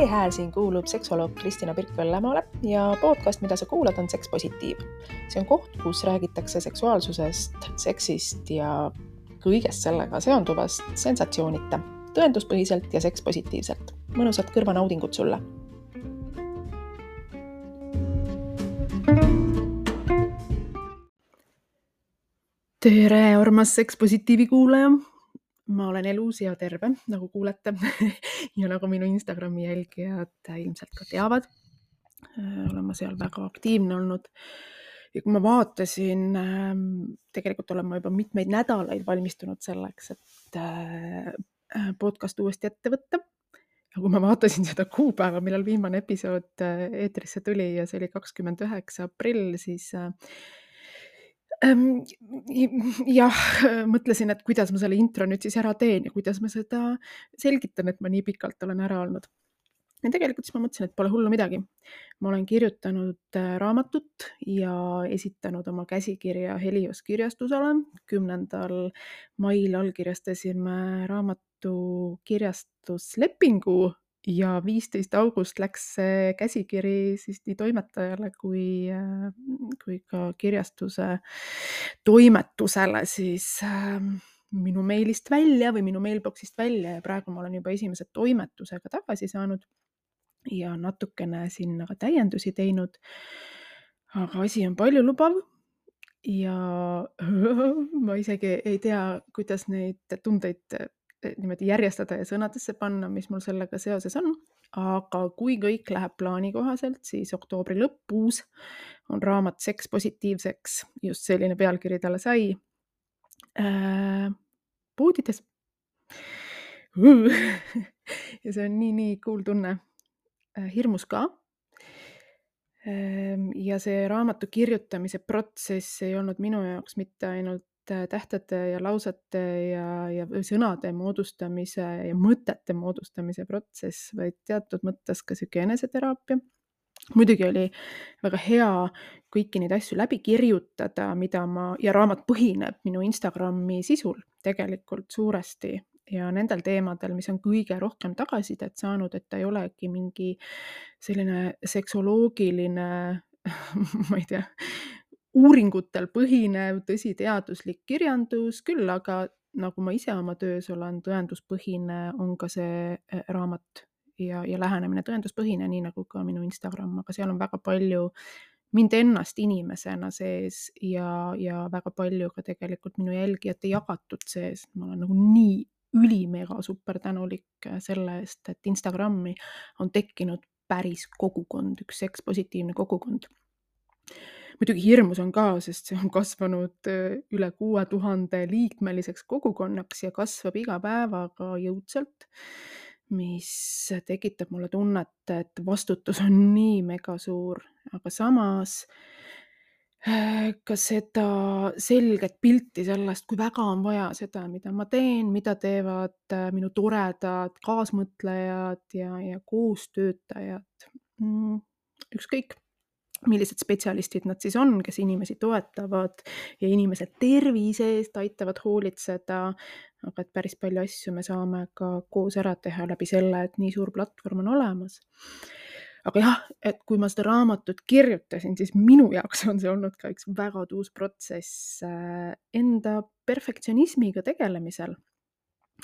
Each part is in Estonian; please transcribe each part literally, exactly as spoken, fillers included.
see hääl siin kuulub seksoloog Kristina Pirk-Vellemaale ja podcast, mida sa kuulad, on Seks Positiiv. See on koht, kus räägitakse seksuaalsusest, seksist ja kõigest sellega seonduvast sensatsioonita, tõenduspõhiselt ja sekspositiivselt. Mõnusat kõrvanaudingut sulle! Tere, armas sekspositiivi kuulaja! Ma olen elus ja terve, nagu kuulete, ja nagu minu Instagrami jälgijad ilmselt ka teavad. Olen ma seal väga aktiivne olnud. Ja kui ma vaatasin, tegelikult olen ma juba mitmeid nädalaid valmistunud selleks, et podcast uuesti ette võtta. Ja kui ma vaatasin seda kuupäeva, millal viimane episood eetrisse tuli ja see oli kakskümmend üheksa aprill, siis jah, mõtlesin, et kuidas ma selle intro nüüd siis ära teen ja kuidas ma seda selgitan, et ma nii pikalt olen ära olnud. Ja tegelikult siis ma mõtlesin, et pole hullu midagi. Ma olen kirjutanud raamatut ja esitanud oma käsikirja Helios kirjastusele. kümnendal mail allkirjastasime raamatu kirjastuslepingu ja viisteist august läks see käsikiri siis nii toimetajale kui, kui ka kirjastuse toimetusele siis minu meilist välja või minu mailboxist välja ja praegu ma olen juba esimese toimetusega tagasi saanud ja natukene sinna ka täiendusi teinud. Aga asi on palju lubav ja ma isegi ei tea, kuidas neid tundeid niimoodi järjestada ja sõnadesse panna, mis mul sellega seoses on. Aga kui kõik läheb plaani kohaselt, siis oktoobri lõpus on raamat Seks positiivseks, just selline pealkiri talle sai, poodides. Ja see on nii, nii cool tunne. Hirmus ka. Ja see raamatu kirjutamise protsess ei olnud minu jaoks mitte ainult tähtede ja lausete ja, ja sõnade moodustamise ja mõtete moodustamise protsess, vaid teatud mõttes ka siuke eneseteraapia. Muidugi oli väga hea kõiki neid asju läbi kirjutada, mida ma, ja raamat põhineb minu Instagrami sisul tegelikult suuresti ja nendel teemadel, mis on kõige rohkem tagasisidet saanud, et ta ei olegi mingi selline seksoloogiline, ma ei tea, uuringutel põhinev, tõsiteaduslik kirjandus, küll aga nagu ma ise oma töös olen, tõenduspõhine on ka see raamat ja, ja lähenemine tõenduspõhine, nii nagu ka minu Instagram, aga seal on väga palju mind ennast inimesena sees ja, ja väga palju ka tegelikult minu jälgijate jagatud sees. Ma olen nagu nii ülimega super tänulik selle eest, et Instagrami on tekkinud päris kogukond, üks sekspositiivne kogukond. Muidugi hirmus on ka, sest see on kasvanud üle kuue tuhande liikmeliseks kogukonnaks ja kasvab iga päevaga jõudsalt, mis tekitab mulle tunnet, et vastutus on nii mega suur, aga samas ka seda selget pilti sellest, kui väga on vaja seda, mida ma teen, mida teevad minu toredad kaasmõtlejad ja, ja koostöötajad. Ükskõik, millised spetsialistid nad siis on, kes inimesi toetavad ja inimese tervise eest aitavad hoolitseda, aga et päris palju asju me saame ka koos ära teha läbi selle, et nii suur platvorm on olemas. Aga jah, et kui ma seda raamatut kirjutasin, siis minu jaoks on see olnud ka üks väga tuus protsess enda perfektsionismiga tegelemisel.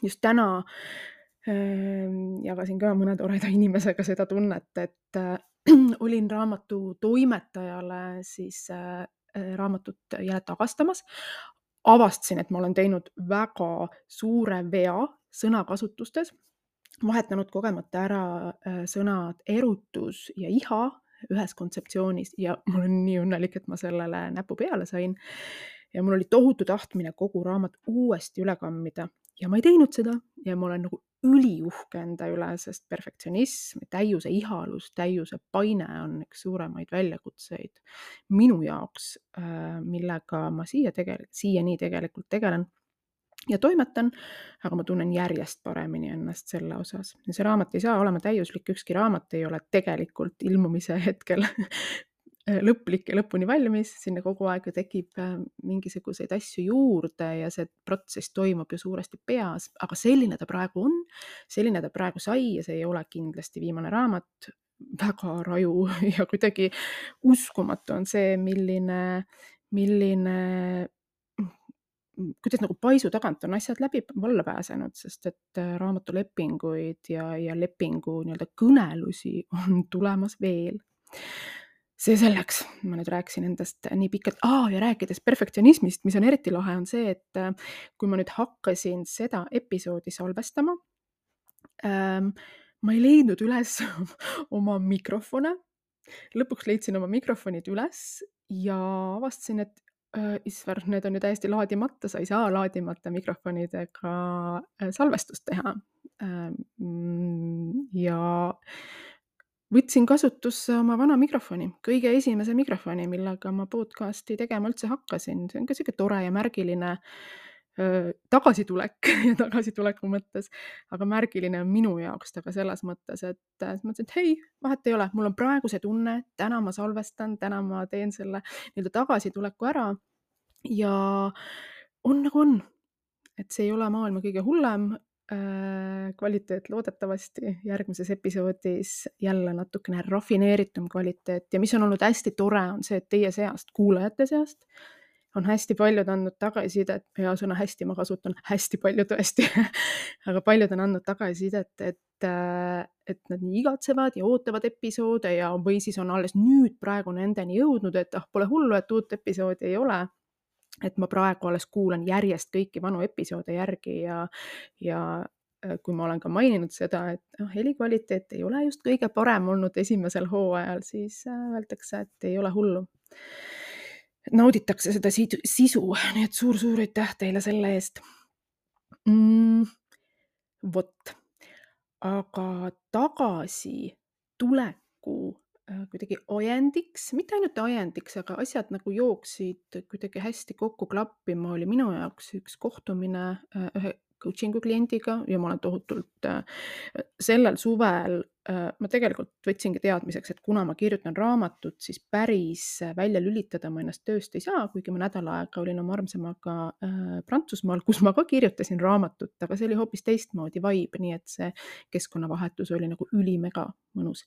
Just täna jagasin ka mõne toreda inimesega seda tunnet, et olin raamatu toimetajale siis raamatut jälle tagastamas. Avastasin, et ma olen teinud väga suure vea sõnakasutustes, vahetanud kogemata ära sõnad erutus ja iha ühes kontseptsioonis ja ma olen nii õnnelik, et ma sellele näpu peale sain. Ja mul oli tohutu tahtmine kogu raamat uuesti üle kammida ja ma ei teinud seda ja ma olen nagu üliuhke enda üle, sest perfektsionism, täiuse ihalus, täiuse paine on üks suuremaid väljakutseid minu jaoks, millega ma siia tegelikult, siiani tegelikult tegelen ja toimetan, aga ma tunnen järjest paremini ennast selle osas. Ja see raamat ei saa olema täiuslik, ükski raamat ei ole tegelikult ilmumise hetkel äh, lõplik ja lõpuni valmis, sinna kogu aeg ju tekib äh, mingisuguseid asju juurde ja see protsess toimub ju suuresti peas, aga selline ta praegu on, selline ta praegu sai ja see ei ole kindlasti viimane raamat. Väga raju ja kuidagi uskumatu on see, milline, milline mm, kuidas nagu paisu tagant on asjad läbi valla pääsenud, sest et äh, raamatulepinguid ja, ja lepingu nii-öelda kõnelusi on tulemas veel. See selleks, ma nüüd rääkisin endast nii pikalt. Aa, ja rääkides perfektsionismist, mis on eriti lahe, on see, et äh, kui ma nüüd hakkasin seda episoodi salvestama, ähm, ma ei leidnud üles oma mikrofone. Lõpuks leidsin oma mikrofonid üles ja avastasin, et äh, isver, need on ju täiesti laadimata, sa ei saa laadimata mikrofonidega äh, salvestust teha. Ähm, ja võtsin kasutusse oma vana mikrofoni, kõige esimese mikrofoni, millega ma podcasti tegema üldse hakkasin. See on ka sihuke tore ja märgiline öö, tagasitulek ja tagasituleku mõttes, aga märgiline on minu jaoks ta ka selles mõttes, et äh, siis mõtlesin, et hei, vahet ei ole, mul on praegu see tunne, täna ma salvestan, täna ma teen selle nii-öelda tagasituleku ära ja on nagu on, et see ei ole maailma kõige hullem äh, kvaliteet loodetavasti järgmises episoodis jälle natukene rafineeritum kvaliteet ja mis on olnud hästi tore, on see, et teie seast, kuulajate seast on hästi paljud andnud tagasisidet, hea sõna hästi ma kasutan, hästi palju tõesti, aga paljud on andnud tagasisidet, et, äh, et nad nii igatsevad ja ootavad episoode ja või siis on alles nüüd praegu nendeni jõudnud, et ah, pole hullu, et uut episoodi ei ole. Et ma praegu alles kuulan järjest kõiki vanu episoode järgi ja, ja äh, kui ma olen ka maininud seda, et oh, helikvaliteet ei ole just kõige parem olnud esimesel hooajal, siis äh, öeldakse, et ei ole hullu. Nauditakse seda sidu- sisu, nii et suur-suur aitäh teile selle eest. Mm, vot, aga tagasi tuleku äh, kuidagi ajendiks, mitte ainult ajendiks, aga asjad nagu jooksid kuidagi hästi kokku klappima, oli minu jaoks üks kohtumine äh, ühe coaching'u kliendiga ja ma olen tohutult äh, sellel suvel äh, ma tegelikult võtsingi teadmiseks, et kuna ma kirjutan raamatut, siis päris äh, välja lülitada ma ennast tööst ei saa, kuigi ma nädal aega olin oma armsamaga äh, Prantsusmaal, kus ma ka kirjutasin raamatut, aga see oli hoopis teistmoodi vibe, nii et see keskkonnavahetus oli nagu ülimega mõnus.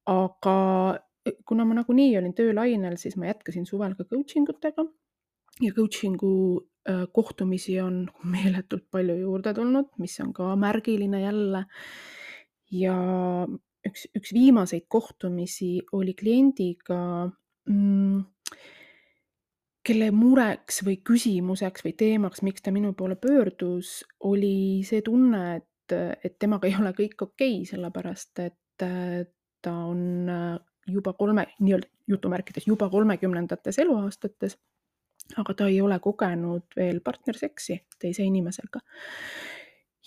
Aga äh, kuna ma nagunii olin töölainel, siis ma jätkasin suvel ka coaching utega ja coaching'u äh, kohtumisi on meeletult palju juurde tulnud, mis on ka märgiline jälle. Ja üks, üks viimaseid kohtumisi oli kliendiga, mm, kelle mureks või küsimuseks või teemaks, miks ta minu poole pöördus, oli see tunne, et, et temaga ei ole kõik okei, sellepärast et äh, ta on äh, juba kolme, nii-öelda jutumärkides juba kolmekümnendates eluaastates, aga ta ei ole kogenud veel partnerseksi teise inimesega.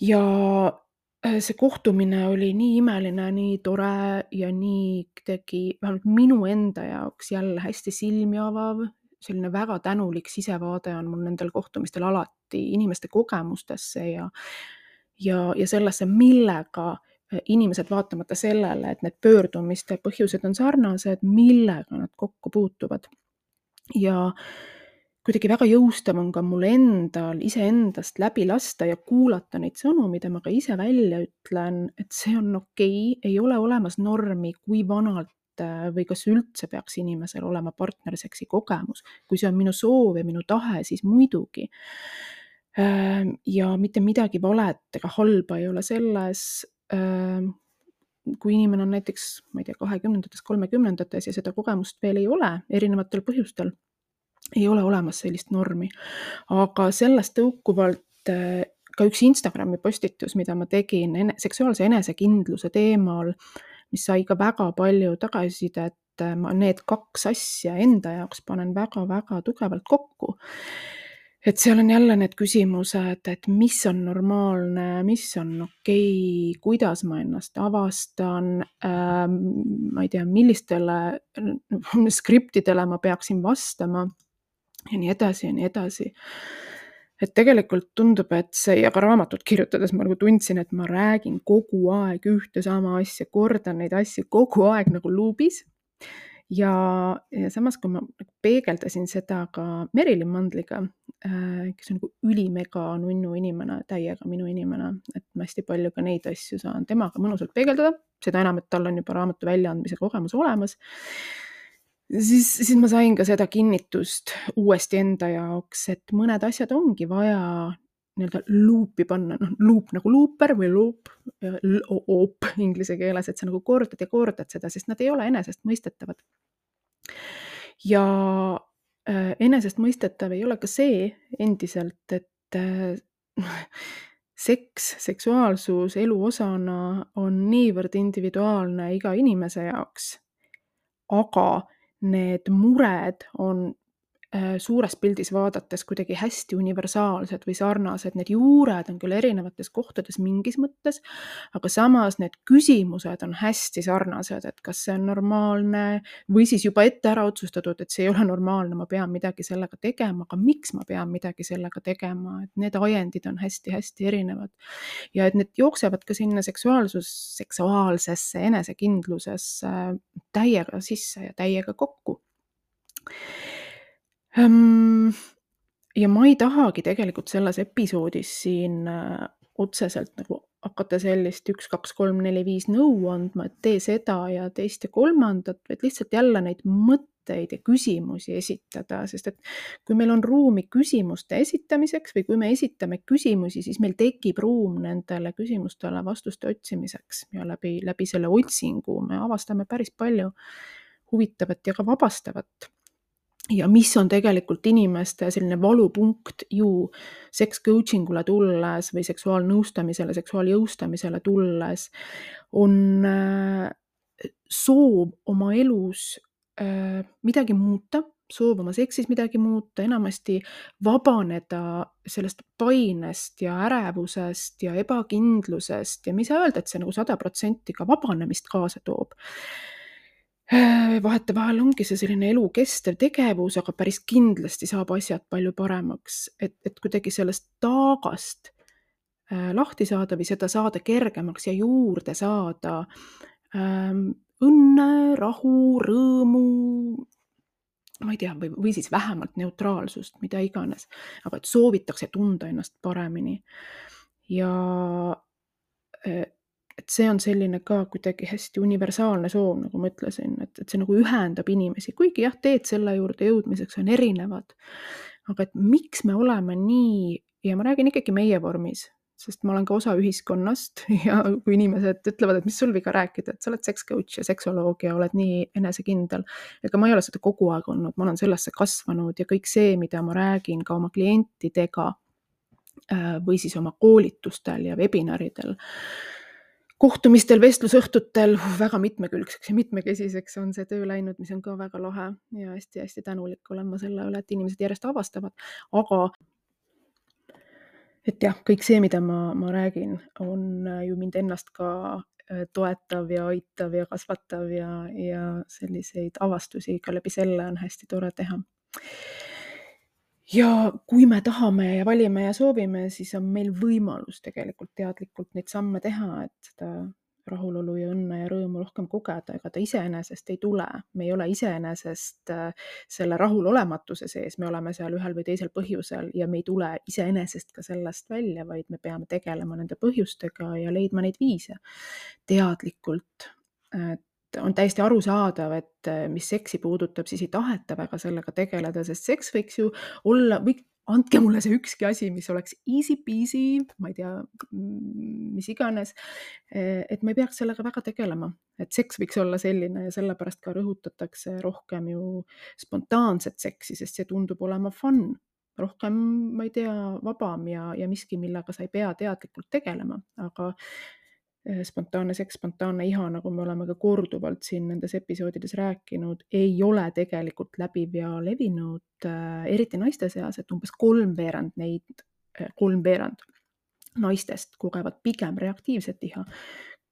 Ja äh, see kohtumine oli nii imeline, nii tore ja nii tegi vähemalt minu enda jaoks jälle hästi silmi avav, selline väga tänulik sisevaade on mul nendel kohtumistel alati inimeste kogemustesse ja, ja, ja sellesse, millega äh, inimesed vaatamata sellele, et need pöördumiste põhjused on sarnased, millega nad kokku puutuvad. Ja kuidagi väga jõustav on ka mul endal iseendast läbi lasta ja kuulata neid sõnu, mida ma ka ise välja ütlen, et see on okei, ei ole olemas normi, kui vanalt äh, või kas üldse peaks inimesel olema partnerseksi kogemus. Kui see on minu soov ja minu tahe, siis muidugi. Ähm, Ja mitte midagi valet ega halba ei ole selles, ähm, kui inimene on näiteks, ma ei tea, kahekümnendates, kolmekümnendates ja seda kogemust veel ei ole erinevatel põhjustel. Ei ole olemas sellist normi, aga sellest tõukuvalt äh, ka üks Instagrami postitus, mida ma tegin ene- seksuaalse enesekindluse teemal, mis sai ka väga palju tagasisidet, äh, ma need kaks asja enda jaoks panen väga-väga tugevalt kokku. Et seal on jälle need küsimused, et mis on normaalne, mis on okei, kuidas ma ennast avastan, ähm, ma ei tea, millistele äh, skriptidele ma peaksin vastama ja nii edasi ja nii edasi. Et tegelikult tundub, et see ja ka raamatut kirjutades ma nagu tundsin, et ma räägin kogu aeg ühte sama asja, kordan neid asju kogu aeg nagu luubis. Ja ja samas, kui ma nagu peegeldasin seda ka Merilin Mandliga, äh, kes on nagu ülimega nunnu inimene, täiega minu inimene, et ma hästi palju ka neid asju saan temaga mõnusalt peegeldada, seda enam, et tal on juba raamatu väljaandmise kogemus olemas. Siis siis ma sain ka seda kinnitust uuesti enda jaoks, et mõned asjad ongi vaja nii-öelda luupi panna, noh, luup nagu luuper või luup, l-o-op inglise keeles, et sa nagu kordad ja kordad seda, sest nad ei ole enesestmõistetavad. Ja äh, enesestmõistetav ei ole ka see endiselt, et äh, seks, seksuaalsus elu osana on niivõrd individuaalne iga inimese jaoks, aga need mured on äh, suures pildis vaadates kuidagi hästi universaalsed või sarnased. Need juured on küll erinevates kohtades mingis mõttes, aga samas need küsimused on hästi sarnased, et kas see on normaalne või siis juba ette ära otsustatud, et see ei ole normaalne, ma pean midagi sellega tegema, aga miks ma pean midagi sellega tegema, et need ajendid on hästi-hästi erinevad. Ja et need jooksevad ka sinna seksuaalsus, seksuaalsesse enesekindlusesse täiega sisse ja täiega kokku. Ähm, ja ma ei tahagi tegelikult selles episoodis siin äh, otseselt nagu hakata sellist üks, kaks, kolm, neli, viis nõu andma, et tee seda ja teist ja kolmandat, vaid lihtsalt jälle neid mõtteid ja küsimusi esitada, sest et kui meil on ruumi küsimuste esitamiseks või kui me esitame küsimusi, siis meil tekib ruum nendele küsimustele vastuste otsimiseks ja läbi, läbi selle otsingu me avastame päris palju huvitavat ja ka vabastavat. Ja mis on tegelikult inimeste selline valupunkt ju seks coachingule tulles või seksuaalnõustamisele, seksuaaljõustamisele tulles, on äh, soov oma elus äh, midagi muuta, soov oma seksis midagi muuta, enamasti vabaneda sellest painest ja ärevusest ja ebakindlusest ja ma ei saa öelda, et see nagu sada protsenti ka vabanemist kaasa toob. Vahetevahel ongi see selline elukestev tegevus, aga päris kindlasti saab asjad palju paremaks, et, et kuidagi sellest taagast äh, lahti saada või seda saada kergemaks ja juurde saada ähm, õnne, rahu, rõõmu, ma ei tea, või, või siis vähemalt neutraalsust, mida iganes, aga et soovitakse tunda ennast paremini. Ja äh, et see on selline ka kuidagi hästi universaalne soov, nagu ma ütlesin, et, et see nagu ühendab inimesi, kuigi jah, teed selle juurde jõudmiseks on erinevad. Aga et miks me oleme nii, ja ma räägin ikkagi meie vormis, sest ma olen ka osa ühiskonnast ja kui inimesed ütlevad, et mis sul viga rääkida, et sa oled sex coach ja seksoloog ja oled nii enesekindel. Ega ma ei ole seda kogu aeg olnud, ma olen sellesse kasvanud ja kõik see, mida ma räägin ka oma klientidega või siis oma koolitustel ja webinaridel, kohtumistel, vestlusõhtutel, väga mitmekülgseks ja mitmekesiseks on see töö läinud, mis on ka väga lahe ja hästi-hästi tänulik olen ma selle üle, et inimesed järjest avastavad, aga et jah, kõik see, mida ma, ma räägin, on ju mind ennast ka toetav ja aitav ja kasvatav ja, ja selliseid avastusi ka läbi selle on hästi tore teha. Ja kui me tahame ja valime ja soovime, siis on meil võimalus tegelikult teadlikult neid samme teha, et seda rahulolu ja õnne ja rõõmu rohkem kogeda, ega ta iseenesest ei tule. Me ei ole iseenesest selle rahulolematuse sees, me oleme seal ühel või teisel põhjusel ja me ei tule iseenesest ka sellest välja, vaid me peame tegelema nende põhjustega ja leidma neid viise teadlikult. On täiesti arusaadav, et mis seksi puudutab, siis ei taheta väga sellega tegeleda, sest seks võiks ju olla, või andke mulle see ükski asi, mis oleks easy peasy, ma ei tea, mis iganes, et ma ei peaks sellega väga tegelema. Et seks võiks olla selline ja sellepärast ka rõhutatakse rohkem ju spontaanset seksi, sest see tundub olema fun, rohkem, ma ei tea, vabam ja, ja miski, millega sa ei pea teadlikult tegelema, aga spontaanne seks, spontaanne iha, nagu me oleme ka korduvalt siin nendes episoodides rääkinud, ei ole tegelikult läbiv ja levinud, eriti naiste seas, et umbes kolmveerand neid, kolmveerand naistest kogevad pigem reaktiivset iha.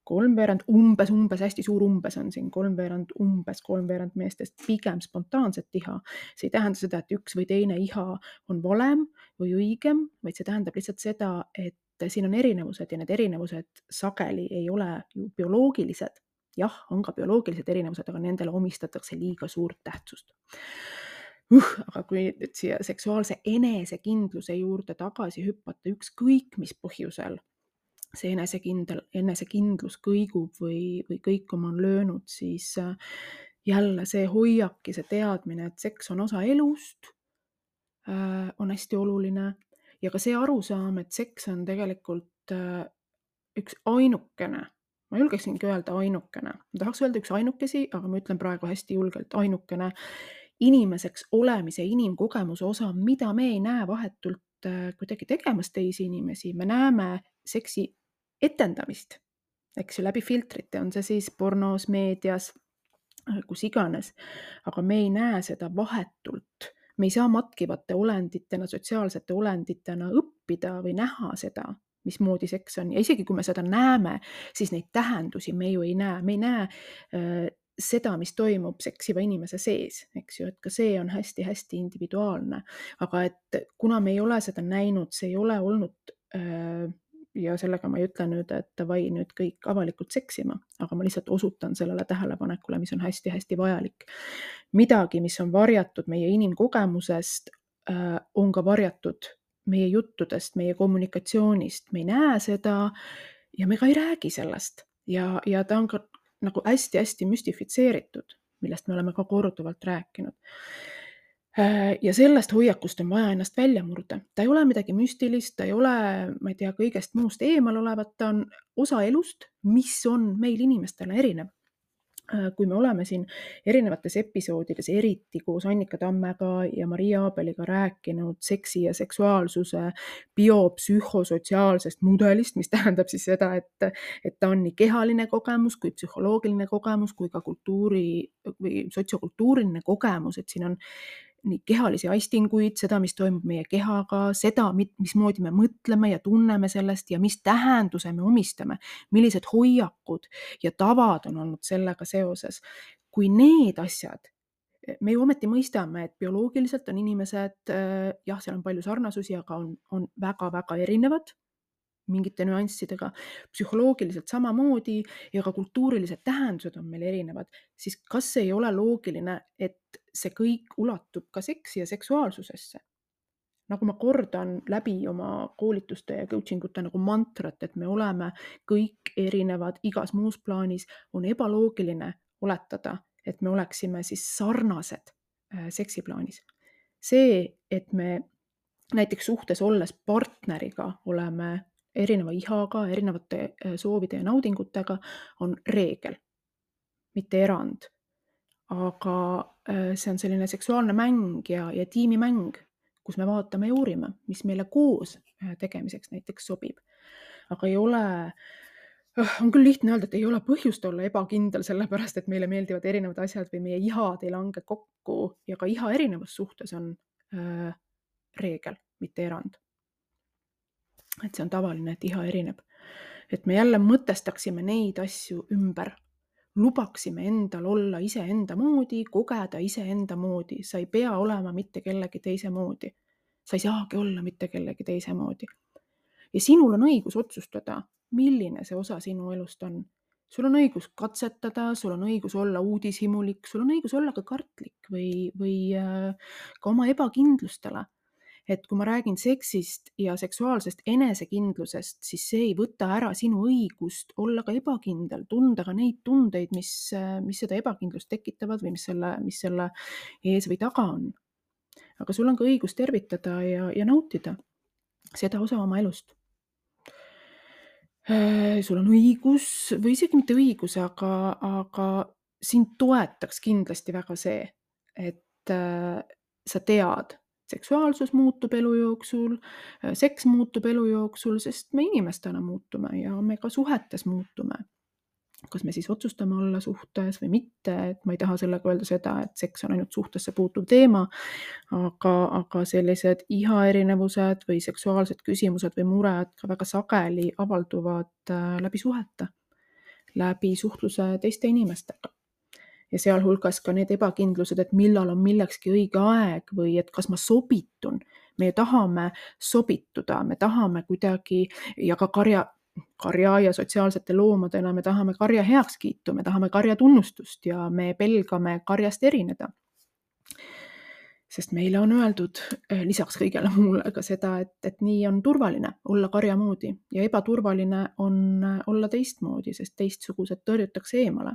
Kolmveerand, umbes, umbes, hästi suur umbes on siin, kolmveerand, umbes kolmveerand meestest pigem spontaanset iha. See ei tähenda seda, et üks või teine iha on valem või õigem, vaid see tähendab lihtsalt seda, et siin on erinevused ja need erinevused sageli ei ole ju bioloogilised, jah, on ka bioloogilised erinevused, aga nendele omistatakse liiga suurt tähtsust. Uh, aga kui nüüd siia seksuaalse enesekindluse juurde tagasi hüpata, ükskõik mis põhjusel see enesekindel, enesekindlus kõigub või, või kõikuma on löönud, siis äh, jälle see hoiak ja see teadmine, et seks on osa elust, äh, on hästi oluline ja ka see arusaam, et seks on tegelikult äh, üks ainukene, ma julgeksingi öelda ainukene, ma tahaks öelda üks ainukesi, aga ma ütlen praegu hästi julgelt ainukene inimeseks olemise, inimkogemuse osa, mida me ei näe vahetult äh, kuidagi tegemas teisi inimesi, me näeme seksi etendamist, eks ju, läbi filtrite, on see siis pornos, meedias, kus iganes, aga me ei näe seda vahetult. Me ei saa matkivate olenditena, sotsiaalsete olenditena õppida või näha seda, mismoodi seks on. Ja isegi kui me seda näeme, siis neid tähendusi me ju ei näe. Me ei näe äh, seda, mis toimub seksiva inimese sees, eks ju, et ka see on hästi-hästi individuaalne. Aga et kuna me ei ole seda näinud, see ei ole olnud äh, ja sellega ma ei ütle nüüd, et davai nüüd kõik avalikult seksima, aga ma lihtsalt osutan sellele tähelepanekule, mis on hästi-hästi vajalik. Midagi, mis on varjatud meie inimkogemusest, on ka varjatud meie juttudest, meie kommunikatsioonist. Me ei näe seda ja me ka ei räägi sellest. Ja, ja ta on ka nagu hästi-hästi müstifitseeritud, millest me oleme ka korduvalt rääkinud. Ja sellest hoiakust on vaja ennast välja murda. Ta ei ole midagi müstilist, ta ei ole, ma ei tea, kõigest muust eemal olevat, ta on osa elust, mis on meil inimestele erinev. Kui me oleme siin erinevates episoodides, eriti koos Annika Tammega ja Maria Aabeliga rääkinud seksi ja seksuaalsuse biopsühhosotsiaalsest mudelist, mis tähendab siis seda, et, et ta on nii kehaline kogemus kui psühholoogiline kogemus kui ka kultuuri või sotsiokultuuriline kogemus, et siin on nii kehalisi aistinguid, seda, mis toimub meie kehaga, seda, mismoodi me mõtleme ja tunneme sellest ja mis tähenduse me omistame, millised hoiakud ja tavad on olnud sellega seoses. Kui need asjad, me ju ometi mõistame, et bioloogiliselt on inimesed, jah, seal on palju sarnasusi, aga on, on väga-väga erinevad mingite nüanssidega, psühholoogiliselt samamoodi ja ka kultuurilised tähendused on meil erinevad, siis kas ei ole loogiline, et see kõik ulatub ka seksi ja seksuaalsusesse? Nagu ma kordan läbi oma koolituste ja coachingute nagu mantrat, et me oleme kõik erinevad igas muus plaanis, on ebaloogiline oletada, et me oleksime siis sarnased seksiplaanis. See, et me näiteks suhtes olles partneriga oleme erineva ihaga, erinevate soovide ja naudingutega, on reegel, mitte erand. Aga see on selline seksuaalne mäng ja, ja tiimimäng, kus me vaatame ja uurime, mis meile koos tegemiseks näiteks sobib. Aga ei ole, on küll lihtne öelda, et ei ole põhjust olla ebakindel, sellepärast, et meile meeldivad erinevad asjad või meie ihad ei lange kokku ja ka iha erinevus suhtes on äh, reegel, mitte erand. Et see on tavaline, et iha erineb. Et me jälle mõtestaksime neid asju ümber. Lubaksime endal olla ise enda moodi, kogeda ise enda moodi. Sa ei pea olema mitte kellegi teise moodi. Sa ei saagi olla mitte kellegi teise moodi. Ja sinul on õigus otsustada, milline see osa sinu elust on. Sul on õigus katsetada, sul on õigus olla uudishimulik, sul on õigus olla ka kartlik või, või ka oma ebakindlustele. Et kui ma räägin seksist ja seksuaalsest enesekindlusest, siis see ei võta ära sinu õigust olla ka ebakindel, tunda ka neid tundeid, mis, mis seda ebakindlust tekitavad või mis selle, mis selle ees või taga on. Aga sul on ka õigus tervitada ja, ja nautida seda osa oma elust. Sul on õigus, või isegi mitte õigus, aga, aga sind toetaks kindlasti väga see, et sa tead, seksuaalsus muutub elu jooksul, seks muutub elu jooksul, sest me inimestena muutume ja me ka suhetes muutume. Kas me siis otsustame olla suhtes või mitte, et ma ei taha sellega öelda seda, et seks on ainult suhtesse puutuv teema, aga, aga sellised iha erinevused või seksuaalsed küsimused või mured ka väga sageli avalduvad läbi suhete, läbi suhtluse teiste inimestega. Ja sealhulgas ka need ebakindlused, et millal on millekski õige aeg või et kas ma sobitun. Me tahame sobituda, me tahame kuidagi ja ka karja, karja ja sotsiaalsete loomadena me tahame karja heakskiitu, me tahame karja tunnustust ja me pelgame karjast erineda. Sest meile on öeldud lisaks kõigele muule ka seda, et, et nii on turvaline olla karja moodi ja ebaturvaline on olla teistmoodi, sest teistsugused tõrjutakse eemale.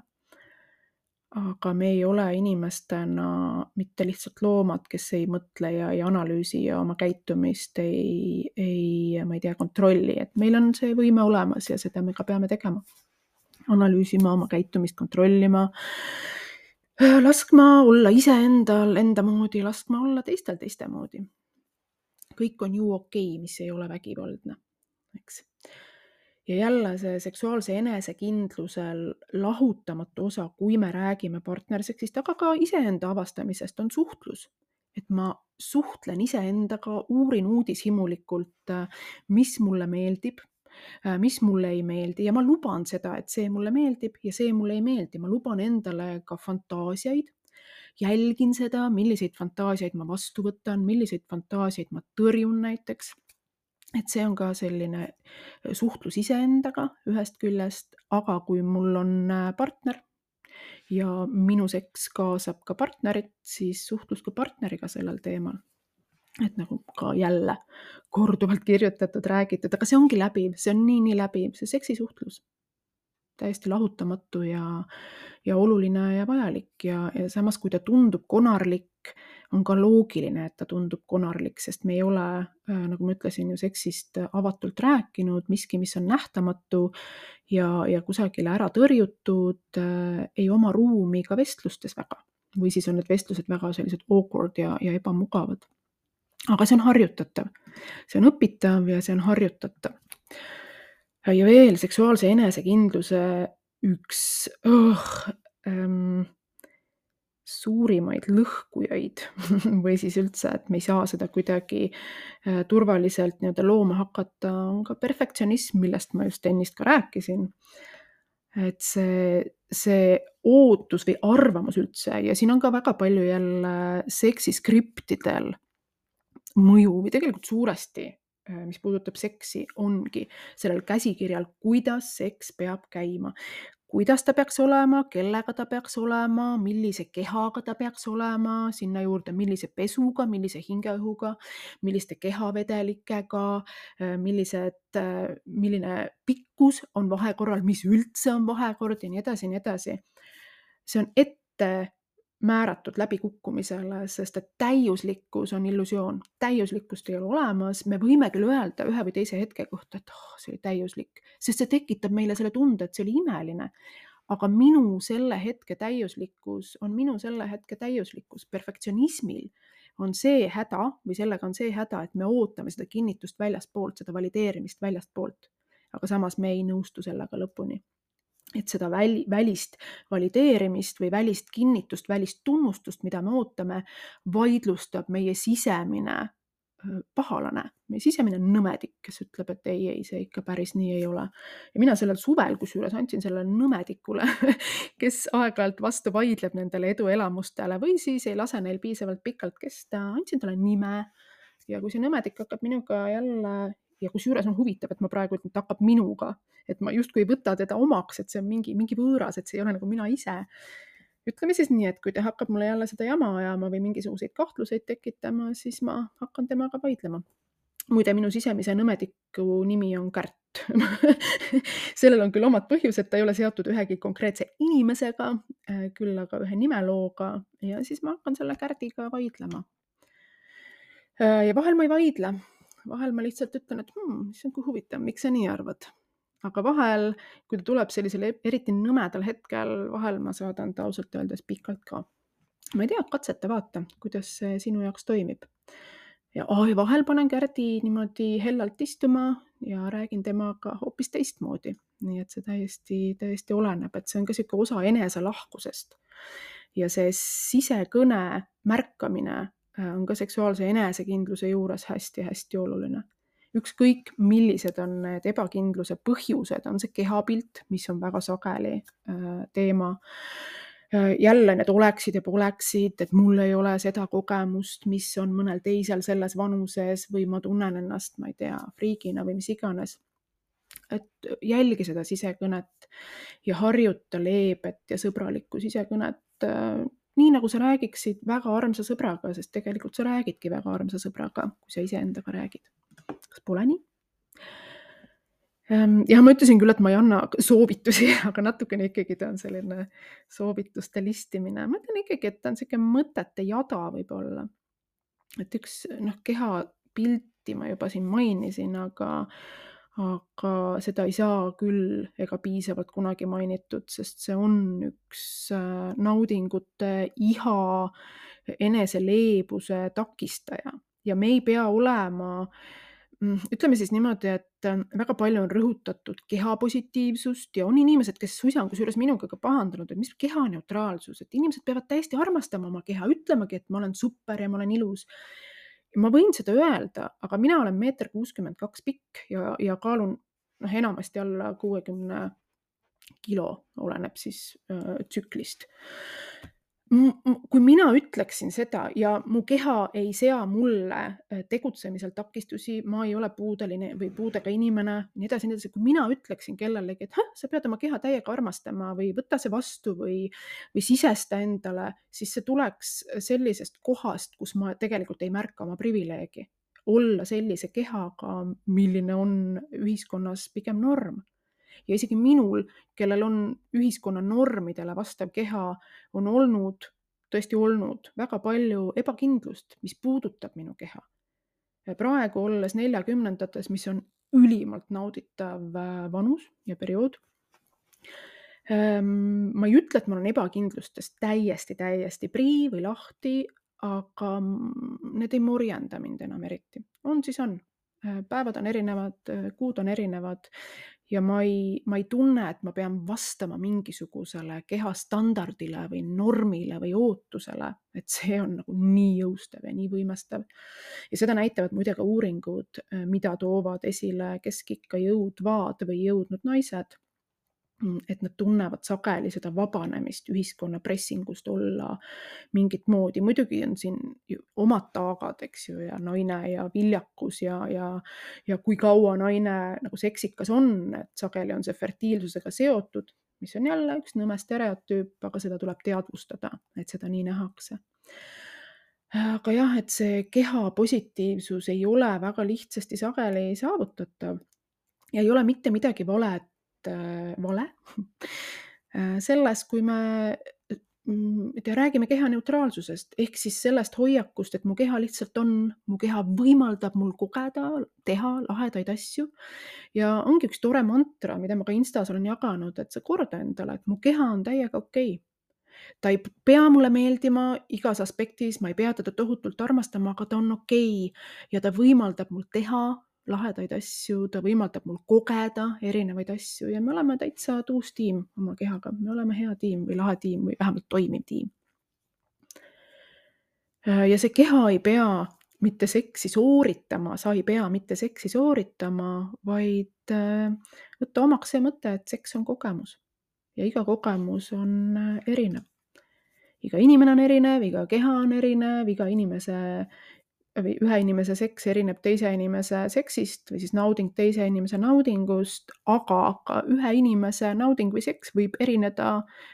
Aga me ei ole inimestena mitte lihtsalt loomad, kes ei mõtle ja ei analüüsi ja oma käitumist ei, ei, ma ei tea, kontrolli, et meil on see võime olemas ja seda me ka peame tegema. Analüüsima oma käitumist, kontrollima, laskma olla iseendal enda moodi, laskma olla teistel teiste moodi. Kõik on ju okei, mis ei ole vägivaldne, eks. Ja jälle see seksuaalse enesekindlusel lahutamatu osa, kui me räägime partnerseksist, aga ka iseenda avastamisest, on suhtlus. Et ma suhtlen iseendaga, uurin uudishimulikult, mis mulle meeldib, mis mulle ei meeldi ja ma luban seda, et see mulle meeldib ja see mulle ei meeldi. Ma luban endale ka fantaasiaid, jälgin seda, milliseid fantaasiaid ma vastu võtan, milliseid fantaasiaid ma tõrjun näiteks. Et see on ka selline suhtlus iseendaga ühest küljest, aga kui mul on partner ja minu seks kaasab ka partnerit, siis suhtlus ka partneriga sellel teemal. Et nagu ka jälle korduvalt kirjutatud, räägitud, aga see ongi läbiv, see on nii, nii läbiv, see seksisuhtlus. Täiesti lahutamatu ja, ja oluline ja vajalik ja, ja samas, kui ta tundub konarlik, on ka loogiline, et ta tundub konarlik, sest me ei ole, nagu ma ütlesin, ju seksist avatult rääkinud, miski, mis on nähtamatu ja, ja kusagile ära tõrjutud, ei oma ruumi ka vestlustes väga. Või siis on need vestlused väga sellised awkward ja, ja ebamugavad. Aga see on harjutatav. See on õpitav ja see on harjutatav. Ja veel seksuaalse enesekindluse üks oh, ähm, suurimaid lõhkujaid või siis üldse, et me ei saa seda kuidagi äh, turvaliselt nii-öelda looma hakata, on ka perfektsionism, millest ma just ennist ka rääkisin. Et see, see ootus või arvamus üldse ja siin on ka väga palju jälle seksiskriptidel mõju või tegelikult suuresti, mis puudutab seksi, ongi sellel käsikirjal, kuidas seks peab käima. Kuidas ta peaks olema, kellega ta peaks olema, millise kehaga ta peaks olema, sinna juurde millise pesuga, millise hingeõhuga, milliste kehavedelikega, millised, milline pikkus on vahekorral, mis üldse on vahekord ja nii edasi, nii edasi. See on ette määratud läbikukkumisele, sest et täiuslikkus on illusioon. Täiuslikkust ei ole olemas. Me võime küll öelda ühe või teise hetke kohta, et oh, see oli täiuslik, sest see tekitab meile selle tunde, et see oli imeline. Aga minu selle hetke täiuslikkus on minu selle hetke täiuslikkus. Perfektsionismil on see häda või sellega on see häda, et me ootame seda kinnitust väljastpoolt, seda valideerimist väljastpoolt. Aga samas me ei nõustu sellega lõpuni. Et seda väl, välist valideerimist või välist kinnitust, välist tunnustust, mida me ootame, vaidlustab meie sisemine pahalane, meie sisemine nõmedik, kes ütleb, et ei, ei, see ikka päris nii ei ole. Ja mina sellel suvel, kusjuures andsin sellele nõmedikule, kes aeg-ajalt vastu vaidleb nendele eduelamustele või siis ei lase neil piisavalt pikalt kesta, andsin talle nime ja kui see nõmedik hakkab minuga jälle ja kusjuures on huvitav, et ma praegu ütlen, et ta hakkab minuga, et ma justkui ei võta teda omaks, et see on mingi, mingi võõras, et see ei ole nagu mina ise. Ütleme siis nii, et kui ta hakkab mulle jälle seda jama ajama või mingisuguseid kahtluseid tekitama, siis ma hakkan temaga vaidlema. Muide, minu sisemise nõmediku nimi on Kärt. Sellel on küll omad põhjused, ta ei ole seotud ühegi konkreetse inimesega, küll aga ühe nimelooga ja siis ma hakkan selle Kärdiga vaidlema. Ja vahel ma ei vaidle. Vahel ma lihtsalt ütlen, et hmm, see on kui huvitav, miks sa nii arvad. Aga vahel, kui ta tuleb sellisel eriti nõmedal hetkel, vahel ma saadan ta ausalt öeldes pikalt ka. Ma ei tea, katseta vaata, kuidas see sinu jaoks toimib. Ja oh, vahel panen Kärdi niimoodi hellalt istuma ja räägin temaga hoopis teistmoodi. Nii et see täiesti, täiesti oleneb, et see on ka siuke osa enese lahkusest. Ja see sisekõne märkamine on ka seksuaalse enesekindluse juures hästi-hästi oluline. Ükskõik, millised on need ebakindluse põhjused, on see kehapilt, mis on väga sageli äh, teema. Äh, jälle need oleksid ja poleksid, et mul ei ole seda kogemust, mis on mõnel teisel selles vanuses või ma tunnen ennast, ma ei tea, friigina või mis iganes. et jälgi seda sisekõnet ja harjuta leebet ja sõbralikku sisekõnet, äh, nii nagu sa räägiksid väga armsa sõbraga, sest tegelikult sa räägidki väga armsa sõbraga, kui sa iseendaga räägid. Kas pole nii? Ähm, ja ma ütlesin küll, et ma ei anna soovitusi, aga natukene ikkagi ta on selline soovituste listimine. Ma ütlen ikkagi, et ta on sihuke mõtete jada võib-olla. Et üks noh, kehapilti ma juba siin mainisin, aga, aga seda ei saa küll ega piisavalt kunagi mainitud, sest see on üks äh, naudingute iha, eneseleebuse takistaja ja me ei pea olema mm, ütleme siis niimoodi, et äh, väga palju on rõhutatud kehapositiivsust ja on inimesed, kes suisa on kusjuures minuga ka pahandanud, et mis kehaneutraalsus, et inimesed peavad täiesti armastama oma keha, ütlemagi, et ma olen super ja ma olen ilus. Ja ma võin seda öelda, aga mina olen meeter kuuskümmend kaks pikk ja, ja kaalun noh, enamasti alla kuuekümne kilo, oleneb siis äh, tsüklist. M- m- kui mina ütleksin seda ja mu keha ei sea mulle äh, tegutsemisel takistusi, ma ei ole puudeline või puudega inimene, nii edasi, nii edasi. Kui mina ütleksin kellelegi, et "Häh, sa pead oma keha täiega armastama või võta see vastu või, või sisesta endale", siis see tuleks sellisest kohast, kus ma tegelikult ei märka oma privileegi. Olla sellise kehaga, milline on ühiskonnas pigem norm. Ja isegi minul, kellel on ühiskonna normidele vastav keha, on olnud, tõesti olnud väga palju ebakindlust, mis puudutab minu keha. Ja praegu olles neljakümnendates, mis on ülimalt nauditav äh, vanus ja periood, ähm, ma ei ütle, et ma olen ebakindlustest täiesti, täiesti prii või lahti, aga mm, need ei morjenda mind enam eriti. On siis on. Äh, Päevad on erinevad, äh, kuud on erinevad ja ma ei, ma ei tunne, et ma pean vastama mingisugusele kehastandardile või normile või ootusele, et see on nagu nii jõustav ja nii võimestav. Ja seda näitavad muide ka uuringud, äh, mida toovad esile keskikka jõudvad või jõudnud naised. Mm, et nad tunnevad sageli seda vabanemist ühiskonna pressingust olla mingit moodi. Muidugi on siin ju omad taagad, eks ju, ja naine ja viljakus ja, ja, ja kui kaua naine nagu seksikas on, et sageli on see fertiilsusega seotud, mis on jälle üks nõme stereotüüp, aga seda tuleb teadvustada, et seda nii nähakse. Aga jah, et see keha positiivsus ei ole väga lihtsasti sageli saavutatav ja ei ole mitte midagi valet, äh, vale äh, selles, kui me mm, te räägime kehaneutraalsusest ehk siis sellest hoiakust, et mu keha lihtsalt on, mu keha võimaldab mul kogeda, teha lahedaid asju. Ja ongi üks tore mantra, mida ma ka Instas olen jaganud, et sa korda endale, et mu keha on täiega okei. Ta ei pea mulle meeldima igas aspektis, ma ei pea teda tohutult armastama, aga ta on okei ja ta võimaldab mul teha lahedaid asju, ta võimaldab mul kogeda erinevaid asju ja me oleme täitsa tuus tiim oma kehaga, me oleme hea tiim või lahe tiim või vähemalt toimiv tiim. Ja see keha ei pea mitte seksi sooritama, sa ei pea mitte seksi sooritama, vaid äh, võtta omaks see mõte, et seks on kogemus ja iga kogemus on äh, erinev. Iga inimene on erinev, iga keha on erinev, iga inimese või ühe inimese seks erineb teise inimese seksist või siis nauding teise inimese naudingust, aga ka ühe inimese nauding või seks võib erineda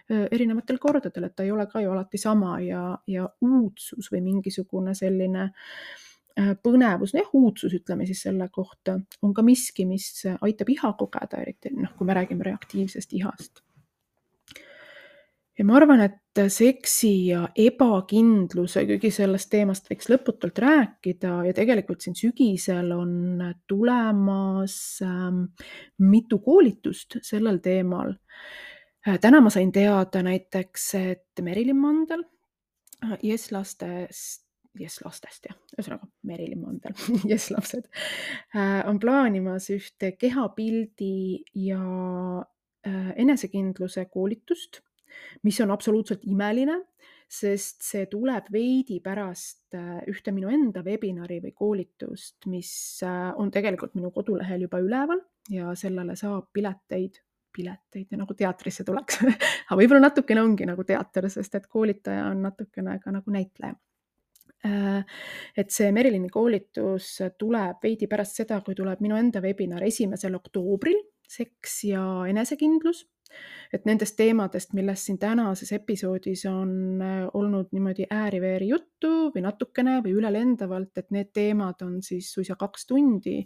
öö, erinevatel kordadel, et ta ei ole ka ju alati sama ja, ja uudsus või mingisugune selline äh, põnevus, jah, uudsus ütleme siis selle kohta, on ka miski, mis aitab iha kogeda, eriti noh, kui me räägime reaktiivsest ihast. Ja ma arvan, et seksi ja ebakindluse, kuigi sellest teemast võiks lõputult rääkida ja tegelikult siin sügisel on tulemas ähm, mitu koolitust sellel teemal. Äh, Täna ma sain teada näiteks, et Merilin Mandel, äh, Yes lastest, Yes lastest jah, ühesõnaga Merilin Mandel, Yes lapsed, äh, on plaanimas ühte kehapildi ja äh, enesekindluse koolitust, mis on absoluutselt imeline, sest see tuleb veidi pärast äh, ühte minu enda webinari või koolitust, mis äh, on tegelikult minu kodulehel juba üleval ja sellele saab pileteid, pileteid ja nagu teatrisse tuleks. Aga võib-olla natukene ongi nagu teater, sest et koolitaja on natukene ka nagu näitleja. Äh, et see Merilini koolitus tuleb veidi pärast seda, kui tuleb minu enda webinar esimesel oktoobril, seks ja enesekindlus. Et nendest teemadest, millest siin tänases episoodis on olnud niimoodi ääri-veeri juttu või natukene või ülelendavalt, et need teemad on siis suisa kaks tundi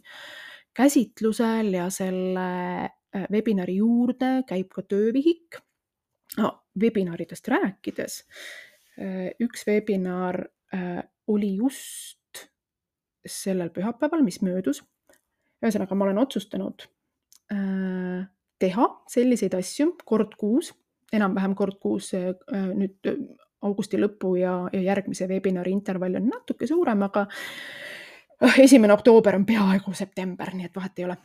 käsitlusel ja selle webinari juurde käib ka töövihik. No, webinaridest rääkides, üks webinar oli just sellel pühapäeval, mis möödus. Ühesõnaga, ma olen otsustanud teha selliseid asju kord kuus, enam-vähem kord kuus nüüd augusti lõpu ja, ja järgmise webinari intervall on natuke suurem, aga esimene oktoober on peaaegu september, nii et vahet ei ole.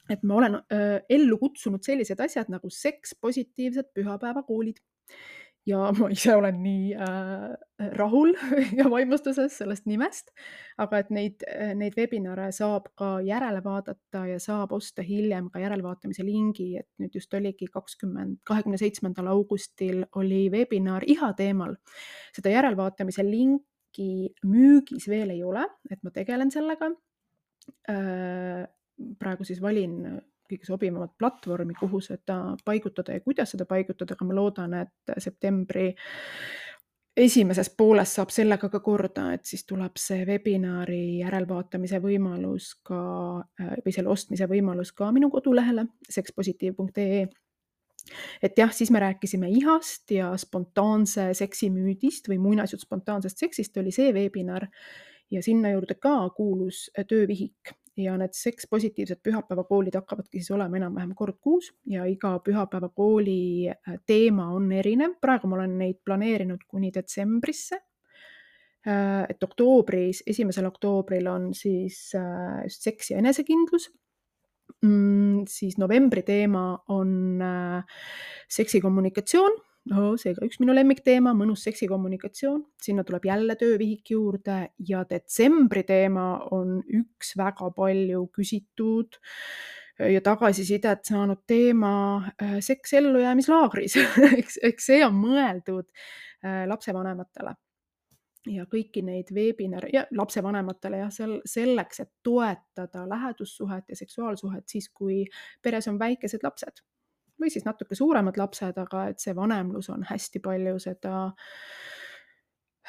Et ma olen ellu kutsunud sellised asjad nagu seks positiivsed pühapäevakoolid. Ja ma ise olen nii äh, rahul ja vaimustuses sellest nimest, aga et neid, neid webinare saab ka järele vaadata ja saab osta hiljem ka järelvaatamise lingi, et nüüd just oligi kakskümmend, kahekümne seitsmendal augustil oli webinar iha teemal. Seda järelvaatamise linki müügis veel ei ole, et ma tegelen sellega. Äh, praegu siis valin kõige sobivamat platvormi, kuhu seda paigutada ja kuidas seda paigutada, aga ma loodan, et septembri esimeses pooles saab sellega ka korda, et siis tuleb see webinari järelvaatamise võimalus ka, või selle ostmise võimalus ka minu kodulehele sekspositiiv punkt ee. Et jah, siis me rääkisime ihast ja spontaanse seksimüüdist või muinasjutt spontaansest seksist oli see webinar ja sinna juurde ka kuulus töövihik. Ja need seks positiivsed pühapäevakoolid hakkavadki siis olema enam-vähem kord kuus ja iga pühapäevakooli teema on erinev. Praegu ma olen neid planeerinud kuni detsembrisse. Et oktoobris, esimesel oktoobril on siis just seks ja enesekindlus. Mm, siis novembri teema on seksikommunikatsioon. No, seega üks minu lemmikteema, mõnus seksikommunikatsioon. Sinna tuleb jälle töövihik juurde ja detsembri teema on üks väga palju küsitud ja tagasisidet saanud teema seks ellujäämislaagris. eks, eks see on mõeldud lapsevanematele. Ja kõiki neid webinare ja lapsevanematele ja sel, selleks, et toetada lähedussuhet ja seksuaalsuhet siis, kui peres on väikesed lapsed. Või siis natuke suuremad lapsed, aga et see vanemlus on hästi palju seda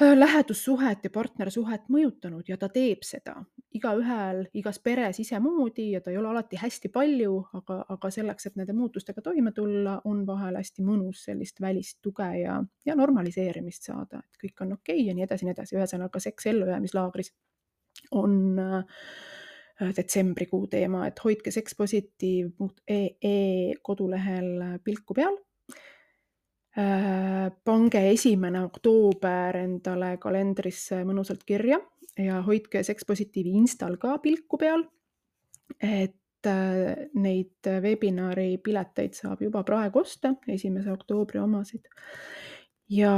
lähedussuhet ja partnersuhet mõjutanud ja ta teeb seda. Igaühel, igas peres isemoodi ja ta ei ole alati hästi palju, aga, aga selleks, et nende muutustega toime tulla, on vahel hästi mõnus sellist välist tuge ja, ja normaliseerimist saada, et kõik on okei ja nii edasi, nii edasi. Ühesõnaga seks ellujäämislaagris on detsembrikuu teema, et hoidke sekspositiiv punkt ee kodulehel pilku peal. Pange esimene oktoober endale kalendrisse mõnusalt kirja ja hoidke sekspositiivi Instal ka pilku peal, et neid webinari pileteid saab juba praegu osta, esimese oktoobri omasid. Ja,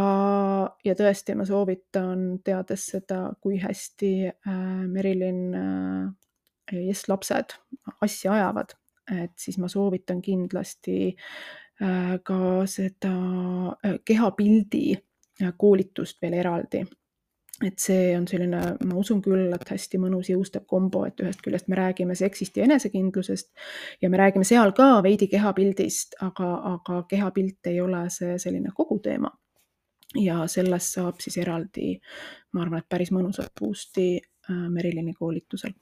ja tõesti ma soovitan, teades seda, kui hästi Merilin Yes, lapsed asja ajavad, et siis ma soovitan kindlasti ka seda kehapildi koolitust veel eraldi. Et see on selline, ma usun küll, et hästi mõnus jõustav kombo, et ühest küljest me räägime seksist ja enesekindlusest ja me räägime seal ka veidi kehapildist, aga, aga kehapilt ei ole see selline kogu teema. Ja sellest saab siis eraldi, ma arvan, et päris mõnusat boost'i Merilini koolitusel.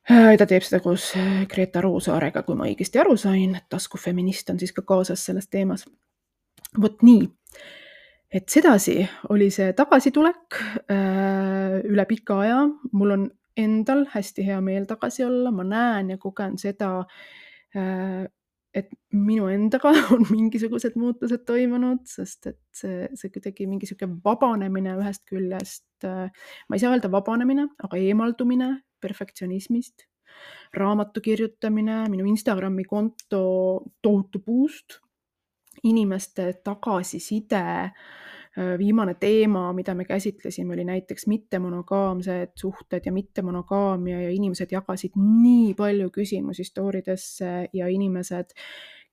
Ta teeb seda koos Greta Roosaarega, kui ma õigesti aru sain, et taskufeminist on siis ka kaasas selles teemas. Vot nii, et sedasi oli see tagasitulek üle pika aja. Mul on endal hästi hea meel tagasi olla, ma näen ja kogen seda, et minu endaga on mingisugused muutused toimunud, sest et see, see kuidagi mingi siuke vabanemine ühest küljest, ma ei saa öelda vabanemine, aga eemaldumine perfektsionismist, raamatu kirjutamine, minu Instagrami konto tohutu boost, inimeste tagasiside, viimane teema, mida me käsitlesime, oli näiteks mittemonogaamsed suhted ja mittemonogaamia ja inimesed jagasid nii palju küsimusi storidesse ja inimesed,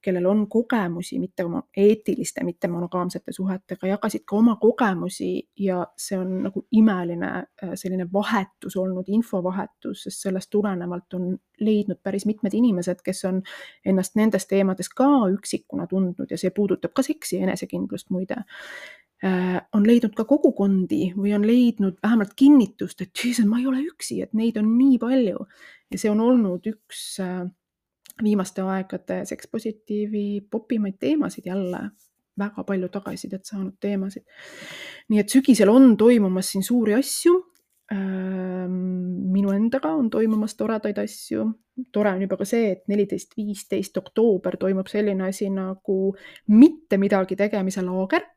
kellel on kogemusi mitte oma eetiliste, mitte monogaamsete suhetega, jagasid ka oma kogemusi ja see on nagu imeline äh, selline vahetus olnud, infovahetus, sest sellest tulenevalt on leidnud päris mitmed inimesed, kes on ennast nendes teemades ka üksikuna tundnud ja see puudutab ka seksi ja enesekindlust muide. Äh, on leidnud ka kogukondi või on leidnud vähemalt kinnitust, et Jesus, ma ei ole üksi, et neid on nii palju. Ja see on olnud üks äh, viimaste aegade sekspositiivi popimaid teemasid jälle, väga palju tagasisidet saanud teemasid. Nii et sügisel on toimumas siin suuri asju. Ähm, minu endaga on toimumas toredaid asju. Tore on juba ka see, et neliteist viisteist oktoober toimub selline asi nagu mitte midagi tegemise laager,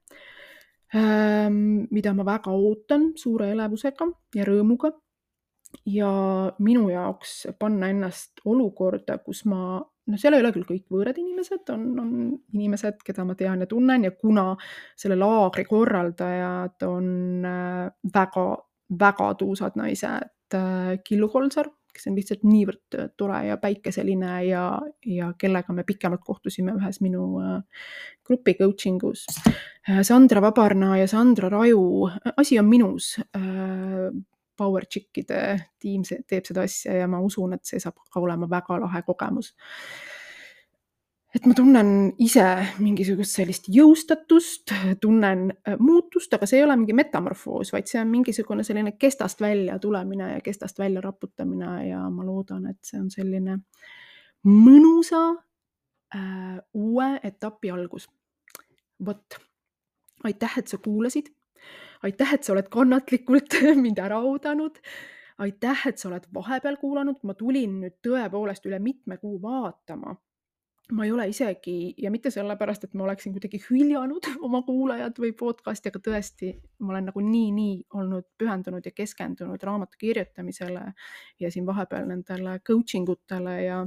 ähm, mida ma väga ootan suure elevusega ja rõõmuga. Ja minu jaoks panna ennast olukorda, kus ma, no seal ei ole küll kõik võõrad inimesed, on, on inimesed, keda ma tean ja tunnen ja kuna selle laagri korraldajad on äh, väga, väga tuusad naised, äh, Killu Kolsar, kes on lihtsalt niivõrd tore ja päikeseline ja, ja kellega me pikemalt kohtusime ühes minu äh, grupi coachingus. Äh, Sandra Vabarna ja Sandra Raju, asi on minus, äh, Power Chickide tiim teeb seda asja ja ma usun, et see saab ka olema väga lahe kogemus. Et ma tunnen ise mingisugust sellist jõustatust, tunnen muutust, aga see ei ole mingi metamorfoos, vaid see on mingisugune selline kestast välja tulemine ja kestast välja raputamine ja ma loodan, et see on selline mõnusa äh, uue etapi algus. Vot, aitäh, et sa kuulasid. Aitäh, et sa oled kannatlikult mind ära oodanud. Aitäh, et sa oled vahepeal kuulanud. Ma tulin nüüd tõepoolest üle mitme kuu vaatama. Ma ei ole isegi, ja mitte sellepärast, et ma oleksin kuidagi hüljanud oma kuulajad või podcasti, aga tõesti, ma olen nagu nii, nii olnud pühendunud ja keskendunud raamatu kirjutamisele ja siin vahepeal nendele coaching utele ja,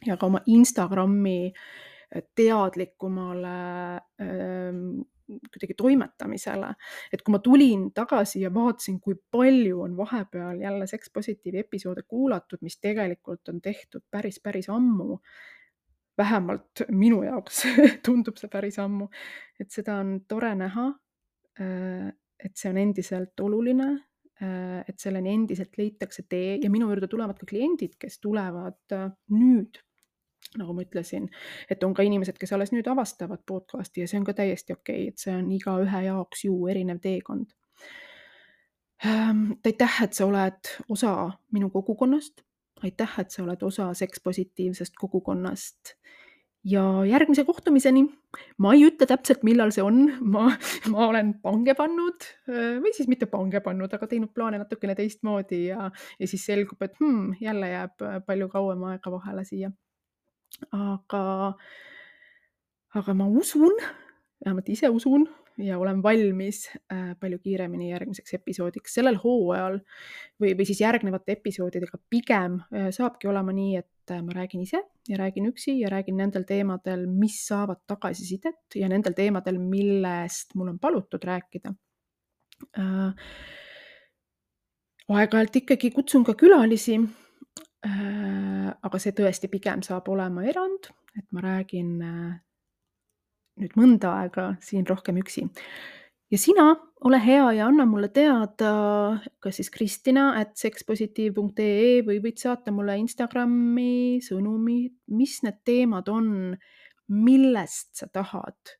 ja ka oma Instagrami teadlikumale ähm, kuidagi toimetamisele, et kui ma tulin tagasi ja vaatasin, kui palju on vahepeal jälle sekspositiivi episoode kuulatud, mis tegelikult on tehtud päris, päris ammu, vähemalt minu jaoks tundub see päris ammu, et seda on tore näha, et see on endiselt oluline, et selleni endiselt leitakse tee ja minu juurde tulevad ka kliendid, kes tulevad nüüd, nagu ma ütlesin, et on ka inimesed, kes alles nüüd avastavad podcasti ja see on ka täiesti okei, et see on iga ühe jaoks ju erinev teekond. Aitäh, et sa oled osa minu kogukonnast. Aitäh, et sa oled osa sekspositiivsest kogukonnast. Ja järgmise kohtumiseni. Ma ei ütle täpselt, millal see on. Ma, ma olen pange pannud või siis mitte pange pannud, aga teinud plaane natukene teistmoodi ja, ja siis selgub, et hmm, jälle jääb palju kauem aega vahele siia. Aga, aga ma usun, vähemalt ise usun ja olen valmis äh, palju kiiremini järgmiseks episoodiks. Sellel hooajal või, või siis järgnevate episoodidega pigem äh, saabki olema nii, et äh, ma räägin ise ja räägin üksi ja räägin nendel teemadel, mis saavad tagasisidet ja nendel teemadel, millest mul on palutud rääkida. Äh, aeg-ajalt ikkagi kutsun ka külalisi, äh, aga see tõesti pigem saab olema erand, et ma räägin äh, nüüd mõnda aega siin rohkem üksi. Ja sina ole hea ja anna mulle teada, kas siis Kristina at sekspositiiv punkt ee või võid saata mulle Instagrami sõnumi, mis need teemad on, millest sa tahad,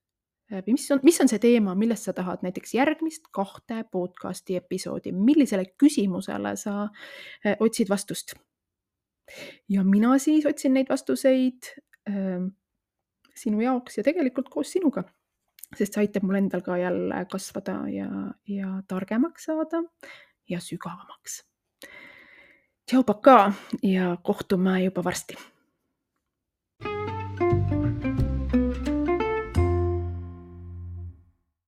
mis on, mis on see teema, millest sa tahad näiteks järgmist kahte podcasti episoodi, millisele küsimusele sa otsid vastust. Ja mina siis otsin neid vastuseid äh, sinu jaoks ja tegelikult koos sinuga, sest see aitab mul endal ka jälle kasvada ja, ja targemaks saada ja sügavamaks. Tšau, paka ja kohtume juba varsti.